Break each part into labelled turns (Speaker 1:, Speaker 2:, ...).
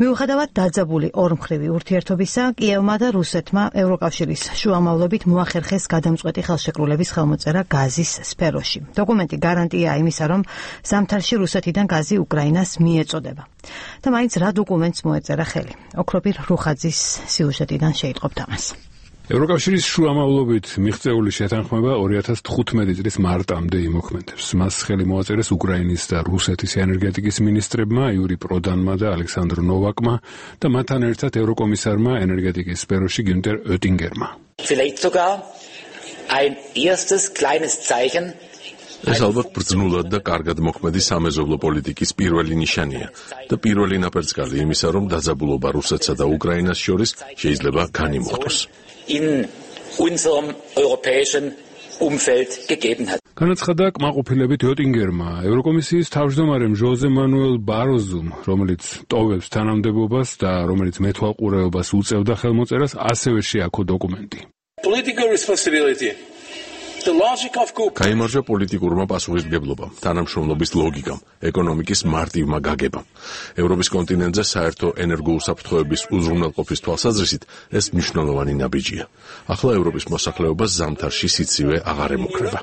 Speaker 1: მიუხედავად დაძაბული ორმხრივი ურთიერთობისა, კიევმა და რუსეთმა ევროკავშირის შუამავლობით მოახერხეს გადამწყვეტი ხელშეკრულების ხელმოწერა გაზის სფეროში. დოკუმენტი გარანტია იმისა, რომ ზამთარში რუსეთიდან გაზი უკრაინას მიეწოდება. და მაინც რა დოკუმენტს მოეწერა ხელი? ოქროპირ რუხაძის სიუჟეტიდან შეიტყობთ ამას.
Speaker 2: ევროკავშირის შუამავლობით მიღწეული შეთანხმება 2015 წლის მარტამდე იმოქმედებს. მას ხელი მოაწერეს უკრაინის და რუსეთის ენერგეტიკის მინისტრებმა იური პროდანმა და ალექსანდრ ნოვაკმა და მათთან ერთად ევროკომისარმა ენერგეტიკის სფეროში გიუნტერ ოტინგერმა.
Speaker 3: ეს ალბათ ბრძნულად და კარგად მოქმედი სამეზობლო პოლიტიკის პირველი ნიშანია და პირველი ნაპერწკალი იმისა, რომ დაძაბულობა რუსეთსა და უკრაინას შორის შეიძლება განიმუხტოს.
Speaker 2: განაცხადა კმაყოფილებით ოტინგერმა, ევროკომისიის თავმჯდომარემ ჟოზე მანუელ ბაროზუმ, რომელიც ტოვებს თანამდებობას და რომელიც მეთვალყურეობას უწევდა ხელმოწერას, ასევე შეაქო დოკუმენტი.
Speaker 3: გაიმარჯვა პოლიტიკურმა პასუხისმგებლობამ, თანამშრომლობის ლოგიკამ, ეკონომიკის მარტივმა გაგებამ. ევროპის კონტინენტზე საერთო ენერგოუსაფრთხოების უზრუნველყოფის თვალსაზრისით ეს მნიშვნელოვანი ნაბიჯია. ახლა ევროპის მოსახლეობას ზამთარში სიცივე აღარ ემუქრება.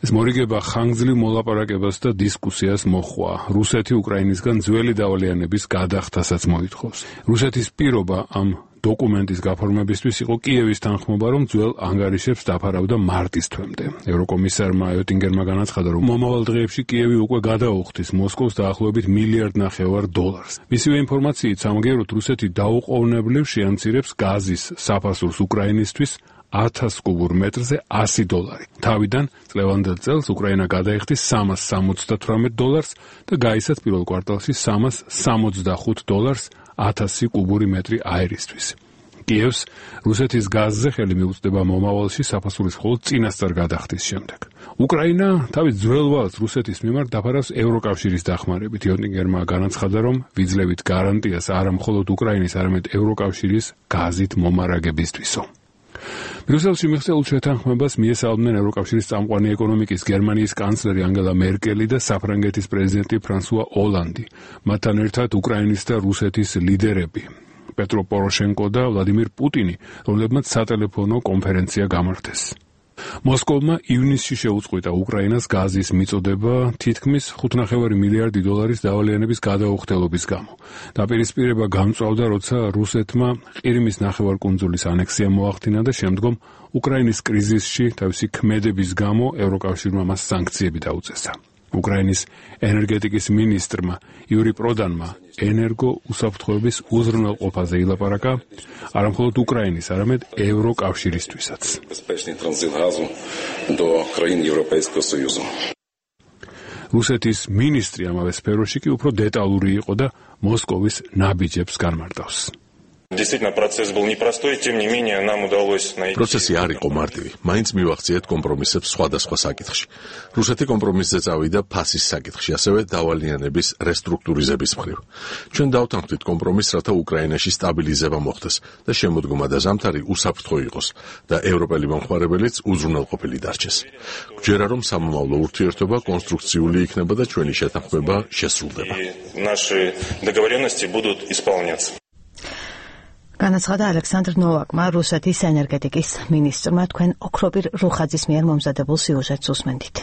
Speaker 2: ეს მორიგება ხანგრძლივ მოლაპარაკებას და დისკუსიას მოჰყვა. რუსეთი უკრაინისგან ძველი დავალიანების გადახდასაც მოითხოვს. რუსეთის პირობა ამ დოკუმენტის გაფორმებისთვის იყო კიევის თანხმობა, რომ ძველ ანგარიშებს დაფარავდა მარტის თვემდე. ევროკომისარმა ოტინგერმა განაცხადა, რომ მომავალ დღეებში კიევი უკვე გადაუხდის მოსკოვს დაახლოებით $1.5 მილიარდ. მისივე ინფორმაციით სამგეროდ რუსეთი დაუყოვნებლივ შეამცირებს გაზის საფასურს უკრაინისთვის 1000 კუბურ მეტრზე $100. თავიდან წლევანდელ წელს უკრაინა გადაიხდის $378 და გაიცათ პირველ კვარტალში $365 1000 კუბური მეტრი აირისთვის. კიევს რუსეთის გაზზე ხელი მიუწვდება მომავალში საფასურის მხოლოდ წინასწარ გადახდის შემდეგ. უკრაინა თავის ძველ ვალს რუსეთის მიმართ დაფარავს ევროკავშირის დახმარებით. ოტინგერმა განაცხადა, რომ ვიძლევით გარანტიას არა მხოლოდ უკრაინის, არამედ ევროკავშირის გაზით მომარაგებისთვისო. ბრიუსელში მიღწეულ შეთანხმებას მიესალმნენ ევროკავშირის წამყვანი ეკონომიკის გერმანიის კანცლერი ანგელა მერკელი და საფრანგეთის პრეზიდენტი ფრანსუა ოლანდი. მათთან ერთად უკრაინის და რუსეთის ლიდერები პეტრო პოროშენკო და ვლადიმირ პუტინი, რომლებმაც სატელეფონო კონფერენცია გამართეს. მოსკოვმა ივნისში შეუწყვიტა უკრაინას გაზის მიწოდება თითქმის $5.5 მილიარდი დავალიანების გადაუხდელობის გამო. დაპირისპირება გამწვავდა, როცა რუსეთმა ყირიმის ნახევარკუნძულის ანექსია მოახდინა და შემდგომ უკრაინის კრიზისში თავისი ქმედების გამო ევროკავშირმა მას სანქციები დაუწესა. უკრაინის ენერგეტიკის მინისტრმა იური პროდანმა ენერგო უსაფრთხოების უზრუნველყოფაზე ილაპარაკა არა მხოლოდ უკრაინის, არამედ ევროკავშირისთვისაც. რუსეთის მინისტრი ამავე სფეროში კი უფრო დეტალური იყო და მოსკოვის ნაბიჯებს განმარტავს.
Speaker 3: პროცესი არ იყო მარტივი. მაინც მივახციეთ კომპრომისებს სხვადასხვა საკითხში. რუსეთი კომპრომისზე წავიდა ფასის საკითხში, ასევე დავალიანების რესტრუქტურიზების მხრივ. ჩვენ დავთანხმდით კომპრომისს, რათა უკრაინაში სტაბილიზება მოხდეს და შემოდგომა და ზამთარი უსაფრთხო იყოს და ევროპელი მომხმარებელიც უზრუნველყოფილი დარჩეს. გვჯერა, რომ სამომავლო ურთიერთობა კონსტრუქციული იქნება და ჩვენი შეთანხმება შესრულდება.
Speaker 1: განაცხადა ალექსანდრ ნოვაკმა, რუსეთის ენერგეტიკის მინისტრმა. თქვენ ოქროპირ რუხაძის მიერ მომზადებულ სიუჟეტს უსმენთ.